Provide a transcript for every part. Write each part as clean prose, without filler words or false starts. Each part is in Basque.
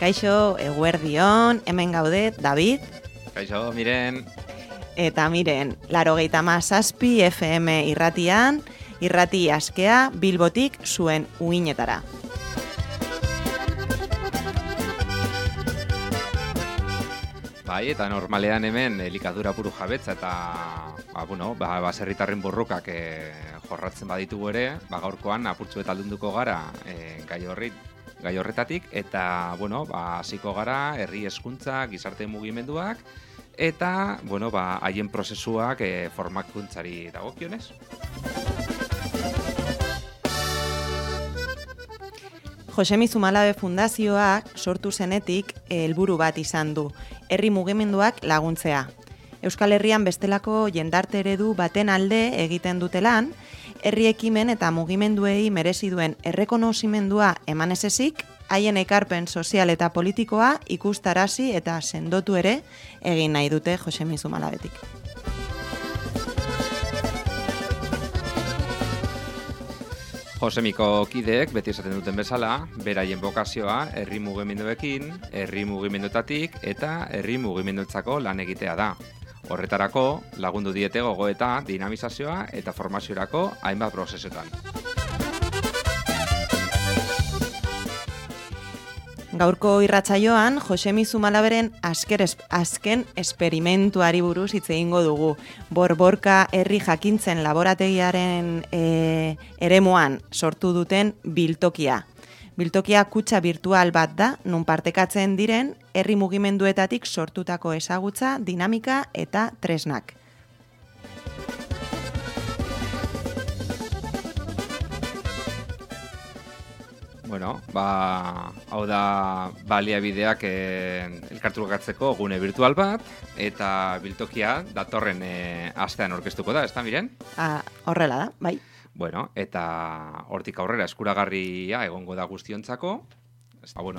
Kaixo, eguerdion, hemen gaude, David. Kaixo, Miren. Eta Miren, 97 FM irratian, irrati askea Bilbotik zuen uinetara. Bai, eta normalean hemen elikadura buru jabetza eta baserritarren borrokak jorratzen baditugu ere, gaurkoan apurtxu eta aldunduko gara gai horretatik, eta hasiko gara herri hezkuntza, gizarte mugimenduak, eta haien prozesuak formakuntzari dagokionez. Josemi Zumalabe Fundazioak sortu zenetik helburu bat izan du, herri mugimenduak laguntzea. Euskal Herrian bestelako jendarte eredu baten alde egiten dute lan, herri ekimen eta mugimenduei merezi duen errekonozimendua eman ez ezik, haien ekarpen sozial eta politikoa ikustarazi eta sendotu ere egin nahi dute Josemi Zumalabetik. Josemiko kideek beti esaten duten bezala, beraien bokazioa herri mugimenduekin, herri mugimenduetatik eta herri mugimenduetzako lan egitea da. Horretarako lagundu diete gogoeta, dinamizazioa eta formaziorako hainbat prozesuetan. Gaurko irratsaioan Josemi Zumalaberen azken esperimentuari buruz hitz egingo dugu. Borborka herri jakintzen laborategiaren eremuan sortu duten biltokia. Biltokia kutxa virtual bat da, nun partekatzen diren herri mugimenduetatik sortutako ezagutza, dinamika eta tresnak. Hau da baliabideak elkartrukatzeko gune virtual bat, eta biltokia datorren astean aurkeztuko da, ez da, Miren? Horrela da, bai. Eta hortik aurrera eskuragarria egongo da guztiontzako,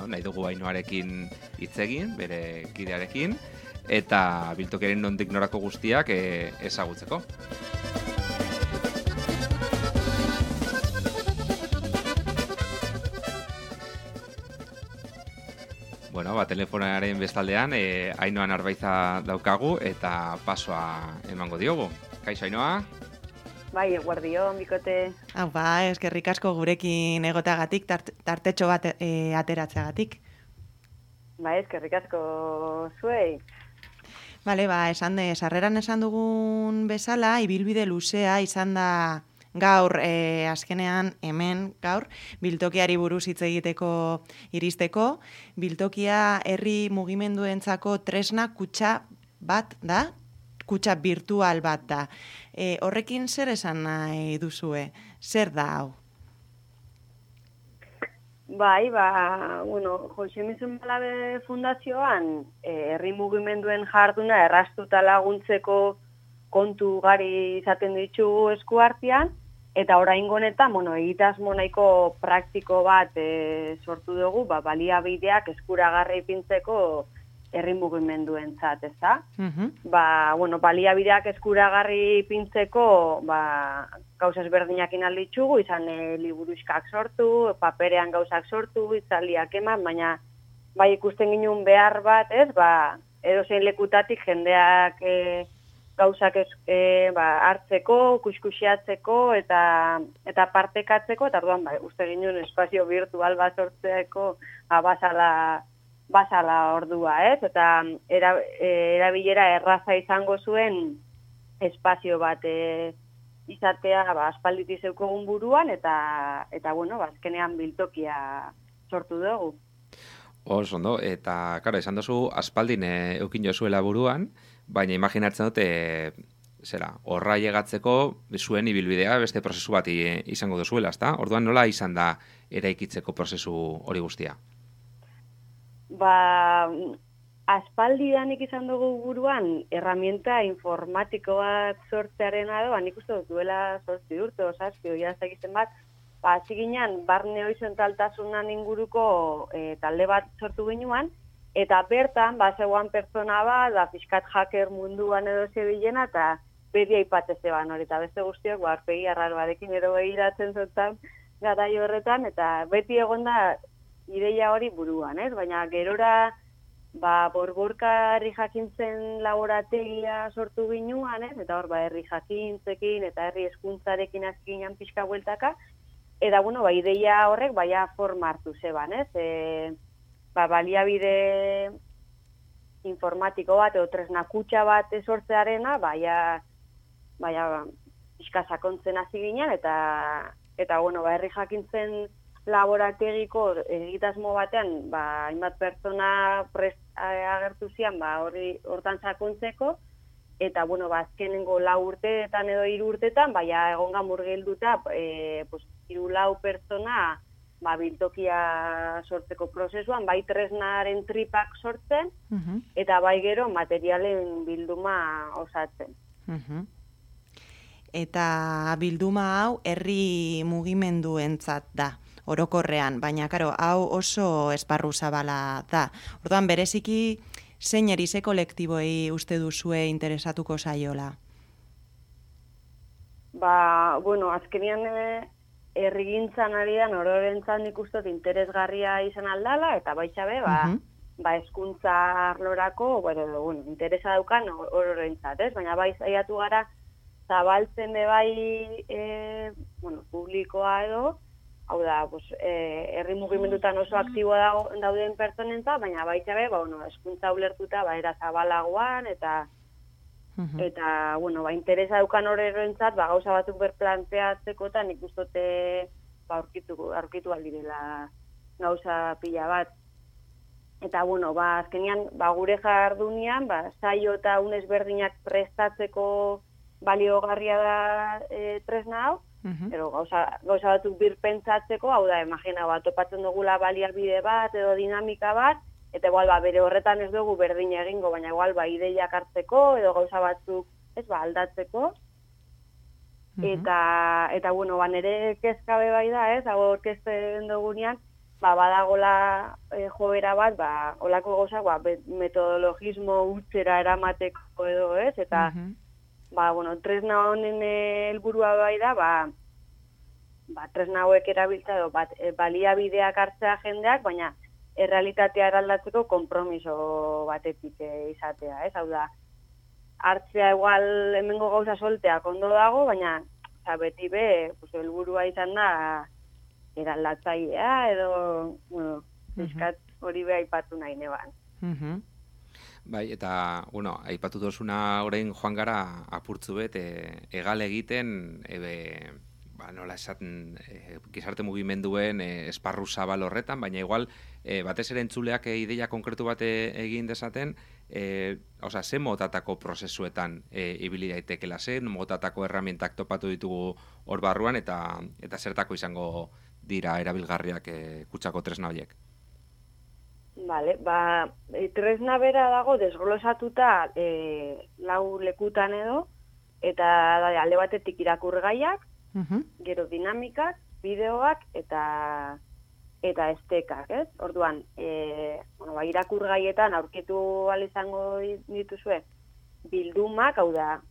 nahi dugu Ainoarekin hitz egin, bere kidearekin, eta biltokiaren nondik norako guztiak ezagutzeko. Telefonaren bestaldean Ainoa Narbaiza daukagu eta pasoa emango diogu. Kaixo, Ainoa? Bai, eguerdion, bikote. Eskerrik asko gurekin egoteagatik, tartetxo bat ateratzeagatik. Eskerrik asko zuei. Sarreran esan dugun bezala, ibilbide luzea izan da gaur, azkenean hemen gaur, biltokiari buruz hitz egiteko iristeko. Biltokia herri mugimenduentzako tresna kutxa bat da, kutxa virtual bat da. Horrekin zer esan nahi duzue? Zer da hau? Josemi Zumalabe Fundazioan herri mugimenduen jarduna erraztuta laguntzeko kontu gari izaten ditugu eskuartean, eta oraingo honetan, egitasmo nahiko praktiko bat sortu dugu, baliabideak eskuragarri ipintzeko herri mugimenduentzat, ezta? Baliabideak eskuragarri ipintzeko, gauza ezberdinak alditugu, izan liburuxkak sortu, paperean gauzak sortu, itzaldiak eman, baina ikusten ginen behar bat, edozein lekutatik jendeak gauzak hartzeko, kuskusiatzeko eta partekatzeko, eta orduan uste ginen espazio virtual bat sortzeko basala ordua, ez? Eta erabilera erraza izango zuen espazio bat izatea aspalditik zeukogun buruan, eta azkenean biltokia sortu dugu. Oso ondo, eta esan duzu aspaldin eukin jozuela buruan, baina imaginatzen dute horra llegatzeko zuen ibilbidea beste prozesu bat izango duzuela, ezta? Orduan nola izan da eraikitzeko prozesu hori guztia? Aspaldidanik izan dugu buruan erramienta informatiko bat sortzearena edo, nik uste dut duela 8 urte, 7 jazak bat, hasi ginen barne horizontaltasunan inguruko talde bat sortu ginuan, eta bertan, zegoan pertsona bat, fiskat hacker munduan edo zebilena, eta beti aipatze zeban hori, eta beste guztiok, aurpegi arraroarekin ero behiratzen zotan garai horretan, eta beti egon da ideia hori buruan, ez? Baina gerora borborka herri jakintzen laborategia sortu ginuan, ez? Eta hor, herri jakintzekin eta herri hezkuntzarekin azkinean pixka bueltaka, eta, ideia horrek, forma hartu zeban, ez? Baliabide informatiko bat, edo tresna kutxa bat sortzearena, pixka sakontzen hasi ginen, eta herri jakintzen laborategiko egitasmo batean, hainbat pertsona prest agertu zian, hortan sakontzeko, eta, azkenengo 4 urteetan edo 3 urteetan, egon murgilduta, 3-4 pertsona, biltokia sortzeko prozesuan, tresnaren tripak sortzen, eta gero materialen bilduma osatzen. Eta bilduma hau herri mugimenduentzat da, orokorrean, baina hau oso esparru zabala da. Orduan, bereziki zein ze kolektiboei uste duzue interesatuko zaiola? Azkenean herrigintzan ari da ororentzat nik uste dut interesgarria izan aldala, eta baitxabe, hezkuntza arlorako, interesa daukan ororentzat, ez? Baina saiatu gara zabaltzen publikoa edo, hau da, herri mugimendutan oso aktibo dauden pertsonentzat, baina baitxabe, hezkuntza ulertuta, era zabalagoan, eta interesa daukan horrentzat, gauza batzuk berplanteatzeko, eta nik ustote aurkitu aldirela gauza pila bat. Eta, azkenean, gure jardunian, saio eta ezberdinak prestatzeko baliogarria da tresna hau, pero gauza batzuk birpentsatzeko, hau da, imagina, topatzen dugula baliabide bat edo dinamika bat, eta bere horretan ez dugu berdin egingo, baina ideiak hartzeko edo gauza batzuk aldatzeko. Eta nire kezkabe da, ez, hau orkesten dugunean, badagola joera bat, olako gauzak, metodologismo hutsera eramateko edo, ez, eta tresna honen helburua da, tresna hauek erabiltza edo baliabideak hartzea jendeak, baina errealitatea eraldatzeko konpromiso batetik izatea, ez? Hau da, hartzea igual hemengo gauza solteak ondo dago, baina beti helburua izan da eraldatzailea edo, eskat hori aipatu nahi neban. Bai, eta, aipatu dozuna orain joan gara apurtzu bet, egal egiten, nola esaten, gizarte mugimenduen esparru zabal horretan, baina igual, batez ere entzuleak ideia konkretu bat egin dezaten, ze motatako prozesuetan ibili daitekela, ze motatako erramientak topatu ditugu hor barruan, eta zertako izango dira erabilgarriak kutsako tresna horiek. Vale, tresna bera dago desglosatuta 4 lekutan edo, eta alde batetik irakurgaiak, gero dinamikak, bideoak eta estekak, ez? Orduan, irakurgaietan aurkitu izango dituzue bildumak, hau da,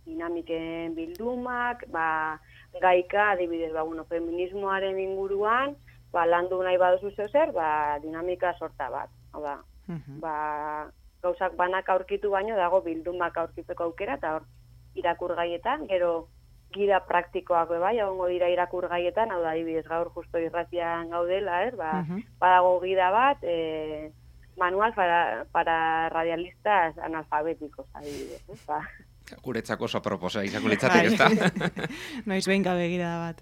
dinamiken bildumak, gaika, adibidez, feminismoaren inguruan, landu nahi baduzu zer, dinamika sorta bat. Hau da, gauzak banak aurkitu baino dago bildumak aurkitzeko aukera, eta hor irakurgaietan, gero gida praktikoak egongo dira irakurgaietan, hau da, adibidez, gaur justo irratian gaudela, badago gida bat, manual para radialistas analfabéticos, adibidez, Guretzako oso proposa izango litzatik, ez da? Noiz behin gabe gida bat.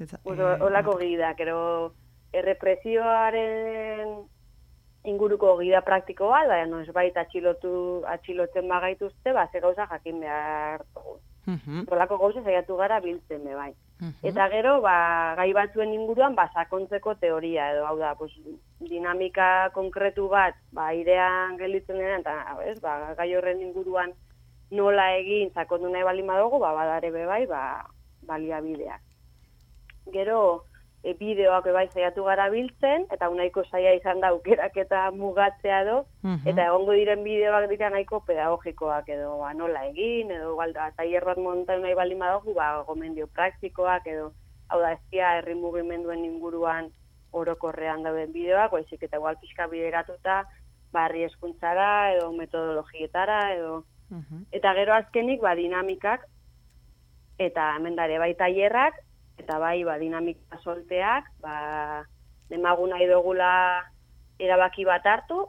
Olako gida, gero errepresioaren inguruko gida praktiko bat, noiz baita atxilotzen bagaituzte, ze gauza jakin behar dugu. Olako gauza saiatu gara biltzen bai. Eta gero, gai batzuen inguruan, sakontzeko teoria, edo hau da, dinamika konkretu bat, airean gelditzen denean, eta gai horren inguruan nola egin sakondu nahi baldin badugu, badare bai, baliabideak. Gero, bideoak saiatu gara biltzen, eta nahiko saia izan da aukerak eta mugatzea edo, eta egongo diren bideoak dira nahiko pedagogikoak edo nola egin, edo tailer bat montatu nahi baldin badugu, gomendio praktikoak edo, hau da, herri mugimenduen inguruan orokorrean dauden bideoak, baizik eta igual pixka bideratuta, barri hezkuntzara edo metodologietara edo eta gero azkenik dinamikak eta hemen dare bai tailerrak eta bai dinamika solteak, demagu nahi dugula erabaki bat hartu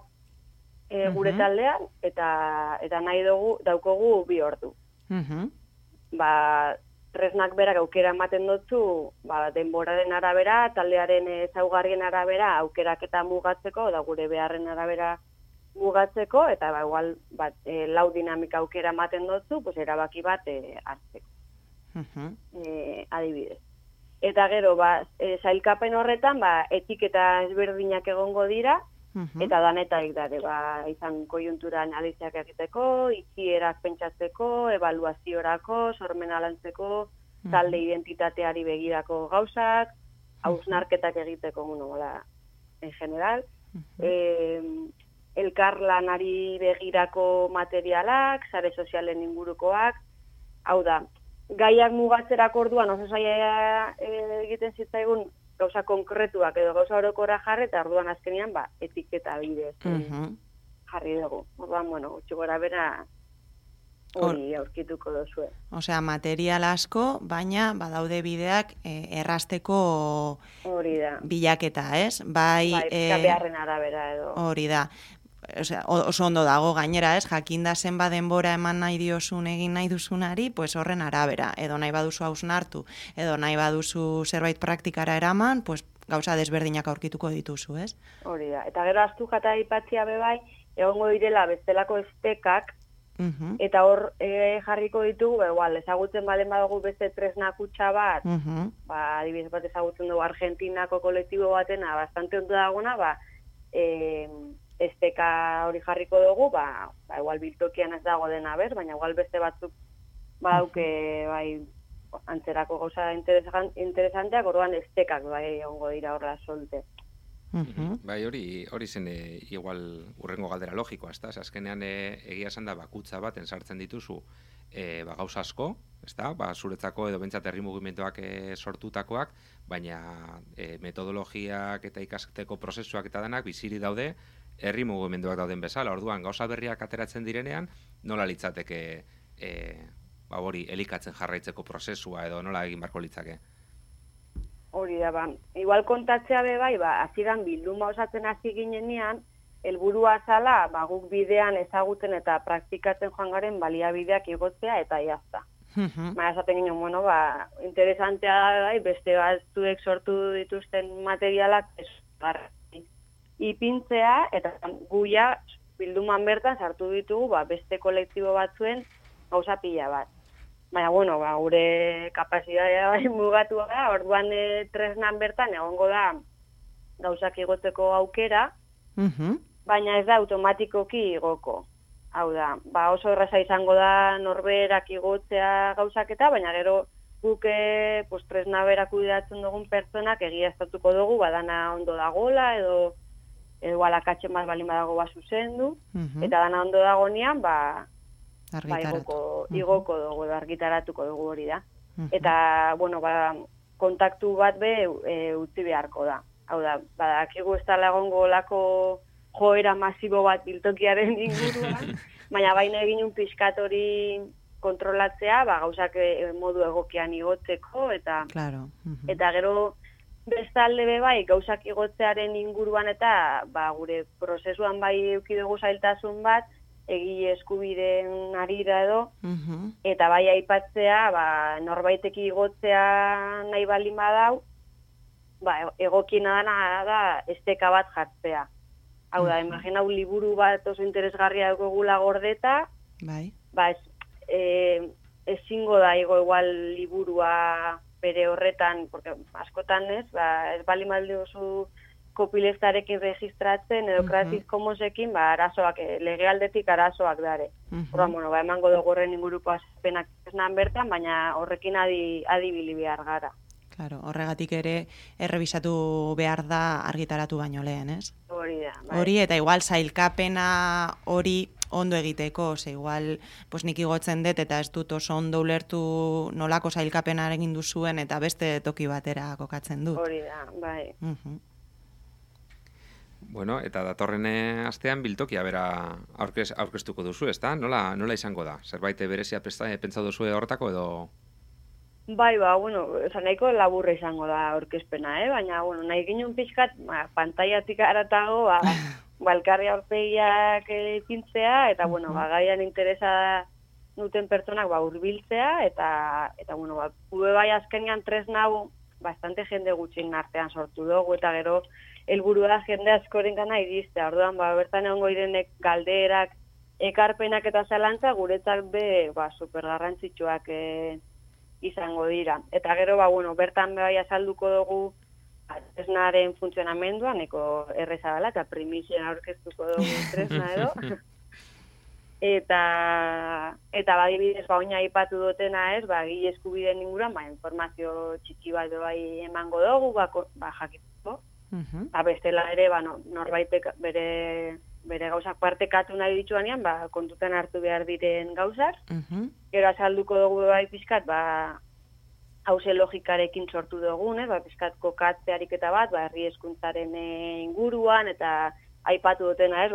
gure taldean eta nahi daukogu 2 ordu. Tresnak berak aukera ematen dutzu, denboraren arabera, taldearen ezaugarrien arabera aukerak eta mugatzeko, da gure beharren arabera mugatzeko, eta igual 4 dinamika aukera ematen dutzu, pues erabaki bat hartzeko. Adibidez. Eta gero, sailkapen horretan, etiketa ezberdinak egongo dira, eta danetarik dare, izan koiuntura analiziak egiteko, itxierak pentsatzeko, ebaluaziorako, sormena lantzeko, talde identitateari begirako gauzak, hausnarketak egiteko, en general, elkarlanari begirako materialak, sare sozialen ingurukoak, hau da, gaiak mugatzerako orduan oso zaila egiten zitzaigun gauza konkretuak edo gauza orokorra jarri, eta orduan azkenean etiketa bidez jarri dugu. Orduan, gutxi gora bera hori aurkituko duzue. Osea, material asko, baina badaude bideak errasteko bilaketa, ez? Bai, beharren arabera edo. Hori da. Osea, oso ondo dago gainera, ez? Jakinda zenba denbora eman nahi diozun egin nahi duzunari, pues horren arabera, edo nahi baduzu hausnartu, edo nahi baduzu zerbait praktikara eraman, pues gauza desberdinak aurkituko dituzu, ez? Hori da. Eta gero astu jata ipatzia bebai, egongo direla bestelako estekak, eta hor jarriko ditugu, igual, ezagutzen balen badugu beste tresna kutxa bat, adibidez bat ezagutzen dugu Argentinako kolektibo batena, bastante ondo dagona, esteka hori jarriko dugu, igual biltokian ez dago dena baina igual beste batzuk badauke antzerako gauza interesanteak, orduan estekak ongo dira horrela solte. Bai, hori zen igual urrengo galdera logikoa, ezta? Azkenean egia esan da bakutza baten sartzen dituzu gauza asko, ezta? Zuretzako edo bentsat herri mugimenduak sortutakoak, baina metodologiak eta ikasteko prozesuak eta denak biziri daude herri mugimenduak dauden bezala. Orduan, gauza berriak ateratzen direnean, nola litzateke hori elikatzen jarraitzeko prozesua edo nola egin barko litzake? Hori da, igual kontatzea bebai, hasieran bilduma osatzen hasi ginenean, helburua zala, guk bidean ezagutzen eta praktikatzen joan garen baliabideak igotzea eta jazta. Esaten ginen, interesantea da, beste batzuek sortu dituzten materialak ipintzea, eta guia bilduman bertan sartu ditugu beste kolektibo batzuen gauza pila bat. Baina, gure kapazitatea mugatua da, orduan tresnan bertan egongo da gauzak igotzeko aukera, baina ez da automatikoki igoko. Hau da, oso erraza izango da norberak igotzea gauzaketa, baina gero guk tresna berak kudeatzen dugun pertsonak egiaztatuko dugu, dana ondo dagoela, edo alakatzen bat balin badago zuzendu, eta dana ondo dagonean, igoko dugu, argitaratuko dugu hori da. Eta, kontaktu bat utzi beharko da. Hau da, badakigu ez dela egongo lako joera masibo bat biltokiaren inguruan, baina baina egin pixkat hori kontrolatzea, gauzak modu egokian igotzeko, eta gero bestalde bai gauzak igotzearen inguruan eta gure prozesuan bai eduki dugu zailtasun bat, egile eskubideen arira edo, eta bai aipatzea, norbaiteki igotzea nahi balin badau, egokiena da esteka bat jartzea. Hau da, imaginau liburu bat oso interesgarria dugula gordeta, ezingo da igual liburua bere horretan, porque askotan ez balin baldi oso kopilestarekin registratzen edo Creative Commonsekin arazoak, legealdetik arazoak dare. Emango dugu horren inguruko azpenak esnan bertan, baina horrekin adibili behar gara. Claro, horregatik ere errebisatu behar da argitaratu baino lehen, ez? Hori da. Hori, eta igual zailkapena hori ondo egiteko, igual nik igotzen dut eta ez dut oso ondo ulertu nolako zailkapenaren egin duzuen eta beste toki batera kokatzen dut. Hori da, bai. Bueno, eta datorren astean biltokia bera aurkeztuko duzu, ezta? Nola izango da? Zerbait berezia pentsatu duzu horretako edo? Bai, bueno, nahiko laburra izango da aurkezpena, baina, bueno, nahi ginen pixkat, pantaiatik aratago, balkarri aurpegiak ipintzea, eta, bueno, gaian interesa duten pertsonak hurbiltzea, eta bueno, gure bai azkenean tresna hau bastante jende gutxin artean sortu dugu, eta gero helburua jende askoren gana iristea. Orduan, bertan egongo direnek galderak, ekarpenak eta zalantza guretzat super garrantzitsuak izango dira. Eta gero, bueno, bertan bai azalduko dugu tresnaren funtzionamendua, neko erreza dela, eta primizien aurkeztuko dugu tresna edo. Eta badibidez, oina aipatu dutena ez, gile eskubideen inguruan, informazio txiki bat bai emango dugu, jakituko. Bestela ere, norbaitek bere gauzak partekatu nahi dituanean, kontutan hartu behar diren gauzak. Gero azalduko dugu bai pixkat, hauze logikarekin sortu dugun, pixkat kokatze ariketa bat, herri hezkuntzaren inguruan, eta aipatu dutena ez,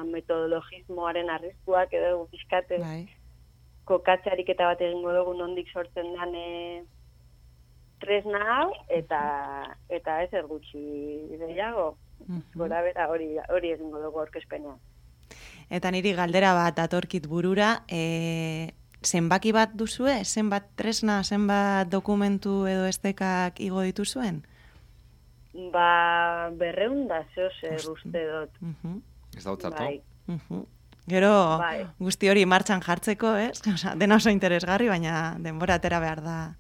metodologismoaren arriskuak edo pixkat kokatze ariketa bat egingo dugu nondik sortzen den tresna hau, eta ez ergutxi gehiago, gora bera hori egingo dugu aurkezpenean. Eta niri galdera bat datorkit burura, zenbaki bat duzue? Zenbat tresna, zenbat dokumentu edo estekak igo dituzuen? 200 zer uste dut. Ez dautzatu? Gero guzti hori martxan jartzeko, ez? Dena oso interesgarri, baina denbora atera behar da.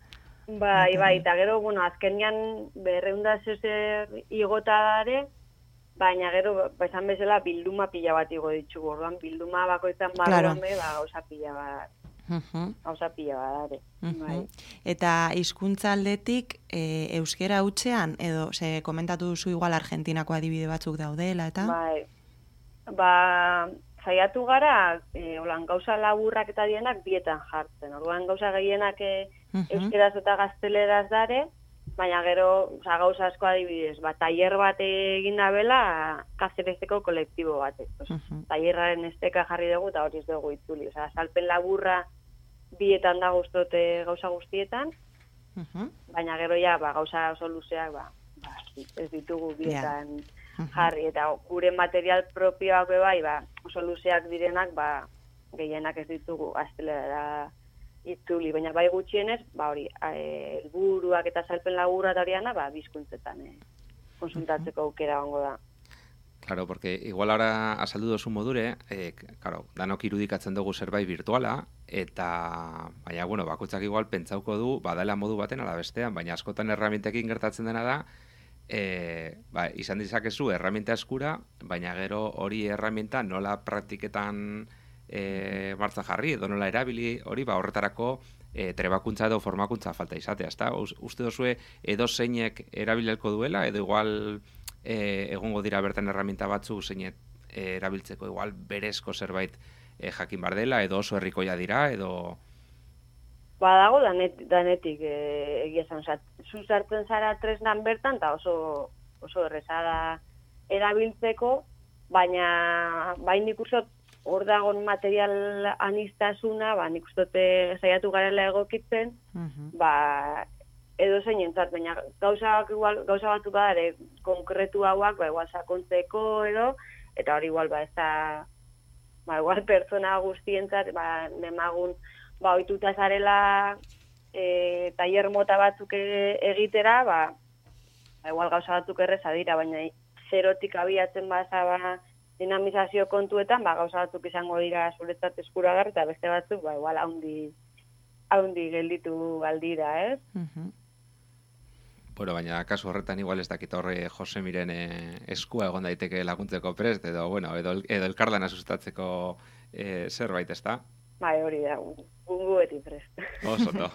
Bai, eta gero, azkenean 200 zer igota dare, baina gero, esan bezala, bilduma pila bat igo ditugu. Orduan, bilduma bakoitzan barruan gauza pila bat. Gauza pila bat dare. Eta hizkuntza aldetik, euskera hutsean, edo, komentatu duzu igual Argentinako adibide batzuk daudela, eta? Bai, saiatu gara, gauza laburrak eta dienak bietan jartzen. Orduan, gauza gehienak euskeraz eta gazteleraz dare, baina gero gauza asko adibidez, tailer bat egin dabela Kazerezeko kolektibo batek. Tailerraren esteka jarri dugu eta hori ez dugu itzuli. Salpen laburra bietan da guztote gauza guztietan, baina gero gauza oso luzeak ez ditugu bietan jarri. Eta gure material propioak bai, oso luzeak direnak, gehienak ez ditugu gaztelera itzuli, baina bai gutxienez, hori, helburuak eta salpen laburra eta horiana, bizkuntzetan konsultatzeko aukera gongo da. Claro, porque igual ahora azaldu dozu modure, danok irudikatzen dugu zerbait virtuala, eta, baina, bakoitzak igual pentsauko du, badala modu baten ala bestean, baina askotan erramintekin gertatzen dena da, izan dizakezu erraminta eskura, baina gero hori erraminta nola praktiketan martza jarri, edo nola erabili, hori horretarako trebakuntza edo formakuntza falta izatea, ezta? Uste dozue edo zeinek erabilelko duela, edo igual egongo dira bertan erraminta batzu zeinek erabiltzeko igual berezko zerbait jakin bar dela, edo oso herrikoia dira, edo... Dago danetik egia esan, zu sartzen zara tresnan bertan, eta oso errezada erabiltzeko, baina nik uste hor dagoen material anistasuna, nik uste saiatu garela egokitzen, edo zein entzat, baina gauza batzuk badare konkretu hauak, igual sakontzeko edo, eta hori igual ez da, igual pertsona guztientzat, nemagun, ohituta zarela tailer mota batzuk egitera, igual gauza batzuk erreza dira, baina zerotik abiatzen baza dinamizazio kontuetan, gauza batzuk izango dira zuretzat eskuragarri, eta beste batzuk, igual haundi gelditu aldira, ez? Bueno, baina kasu horretan igual ez dakit horre Jose Miren eskua egon daiteke laguntzeko prest, edo elkarlana sustatzeko zerbait, ez da? Hori da, gungu beti prest. Oso ondo.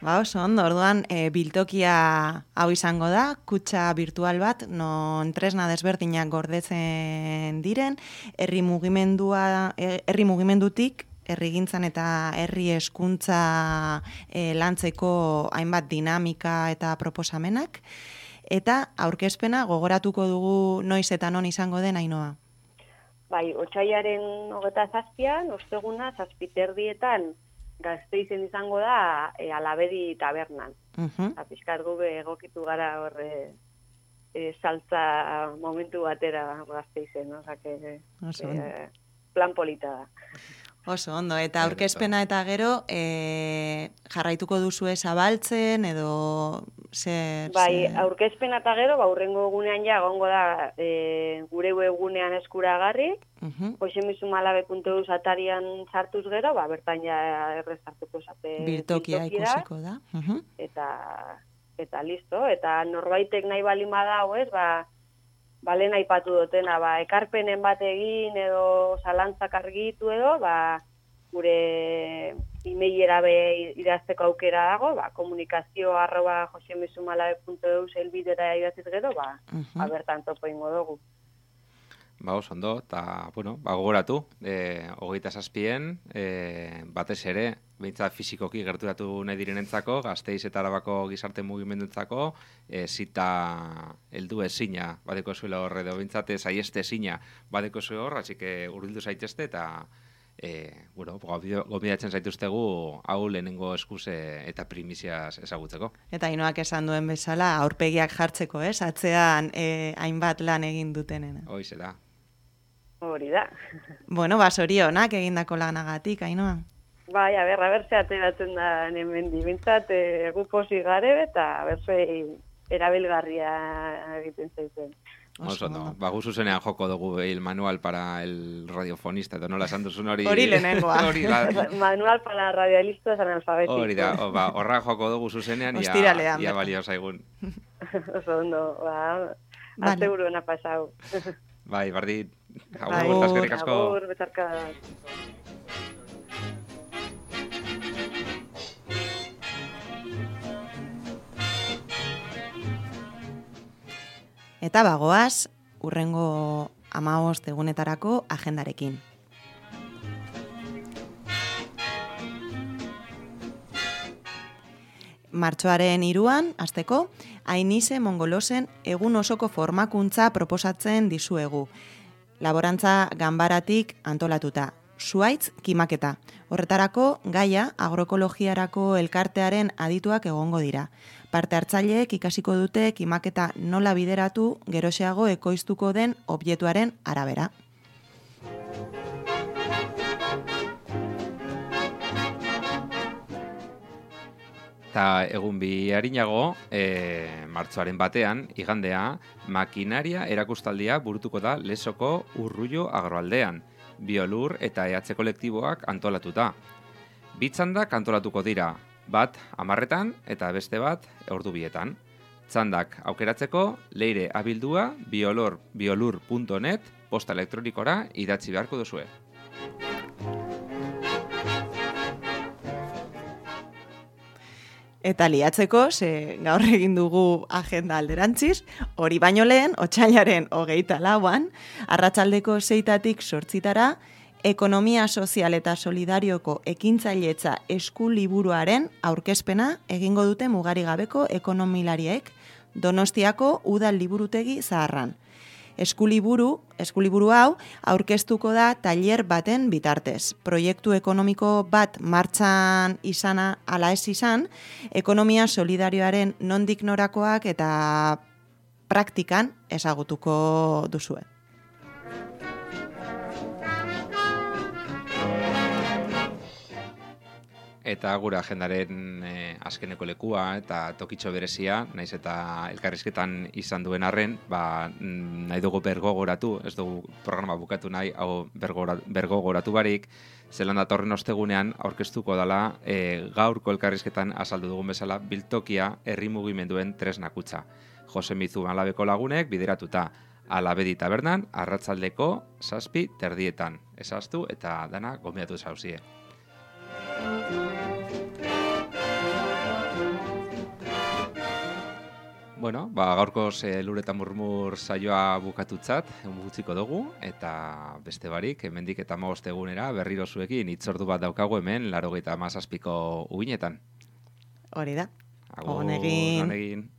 Oso ondo, orduan biltokia hau izango da, kutxa virtual bat, non tresna desberdinak gordetzen diren, herri mugimendutik, herrigintzan eta herri hezkuntza lantzeko hainbat dinamika eta proposamenak, Eta aurkezpena gogoratuko dugu noiz eta non izango den, Ainhoa. Bai, otsailaren 27an, osteguna, 7:30 Gasteizen izango da Alabedi tabernan. Pixkat gube egokitu gara hor saltza momentu batera Gasteizen, plan polita da. Oso ondo, eta aurkezpena eta gero jarraituko duzue zabaltzen edo zer... Bai, aurkezpena eta gero, hurrengo egunean ja egongo da gure webgunean eskuragarri, josemizumalabe.eus atarian sartuz gero, bertan ja errezartuko zate biltokia ikusiko da. Eta listo, eta norbaitek nahi balin badau, lehen aipatu dutena, ekarpenen bat egin edo zalantzak argitu edo, gure e-mailera idazteko aukera dago, komunikazio@josemizumalabe.eus helbidera idatziz gero, bertan topo ingo dugu. Oso ondo, eta, gogoratu, 27en, batez ere, behintzat fizikoki gerturatu nahi direnentzako, Gasteiz eta Arabako gizarte mugimenduentzako, zita heldu ezina badeko zuela horre, edo behintzat saieste ezina badeko zuela hor, así que hurbildu zaitezte, eta gobidatzen zaituztegu hau lehenengo eskuz eta primiziaz ezagutzeko. Eta Ainhoak esan duen bezala, aurpegiak jartzeko, atzean hainbat lan egin dutenena. Hoize da. Hori da. Zorionak egindako lanagatik, Ainhoa. Bai, aber ze ateratzen da hemendi. Bintzat, gu pozik gare eta berzei erabilgarria egiten zaiten. Oso, no. Gu zuzenean joko dugu el manual para el radiofonista, edo nola esan duzun hori... Hori lehenengoa. Manual para radialistas analfabetikos. Hori da, horra joko dugu zuzenean, ia balio zaigun. Oso ondo, azte buruena pasau. Bai, bardit. Agur, eskerrik asko. Agur, betarka. Eta bagoaz, hurrengo 15 egunetarako agendarekin. Martxoaren 3an, hasteko, Ainize Mongolosen egun osoko formakuntza proposatzen dizuegu. Laborantza ganbaratik antolatuta. Zuaitz kimaketa. Horretarako, gaia agroekologiarako elkartearen adituak egongo dira. Parte hartzaileek ikasiko dute kimaketa nola bideratu geroxeago ekoiztuko den objektuaren arabera. Eta egun bi harinago, martxoaren batean, igandea, makinaria erakustaldia burutuko da Lesoko Urrullo agroaldean, Biolur eta EH kolektiboak antolatuta. Bi txandak antolatuko dira, bat 10 eta beste bat ordu 2. Txandak aukeratzeko, leire abildua biolur.net posta elektronikora idatzi beharko duzue. Eta liatzeko, gaur egin dugu agenda alderantziz, hori baino lehen, otsailaren 24an, arratsaldeko 6tatik 8 Ekonomia Sozial eta Solidarioko ekintzailetza eskuliburuaren aurkezpena egingo dute mugarigabeko ekonomilariek Donostiako Udal Liburutegi Zaharran. Eskuliburu hau aurkeztuko da tailer baten bitartez. Proiektu ekonomiko bat martxan izana ala ez izan, ekonomia solidarioaren nondik norakoak eta praktikan ezagutuko duzue. Eta gure agendaren azkeneko lekua eta tokitxo berezia, naiz eta elkarrizketan izan duen arren, nahi dugu bergogoratu, ez dugu programa bukatu nahi, hau bergogoratu barik, zelan datorren ostegunean aurkeztuko dela gaurko elkarrizketan azaldu dugun bezala biltokia herri mugimenduen tresnakutza. Josemizumalabe lagunek bideratuta Alabedi tabernan, arratsaldeko 7:30. Ezaztu eta dana gonbidatu zauzie. Gaurkoz lur eta murmur saioa bukatutzat, gutziko dugu, eta beste barik, hemendik eta 15 egunera berriro zuekin hitzordu bat daukagu hemen 97ko ubinetan. Hori da. Agur, on egin.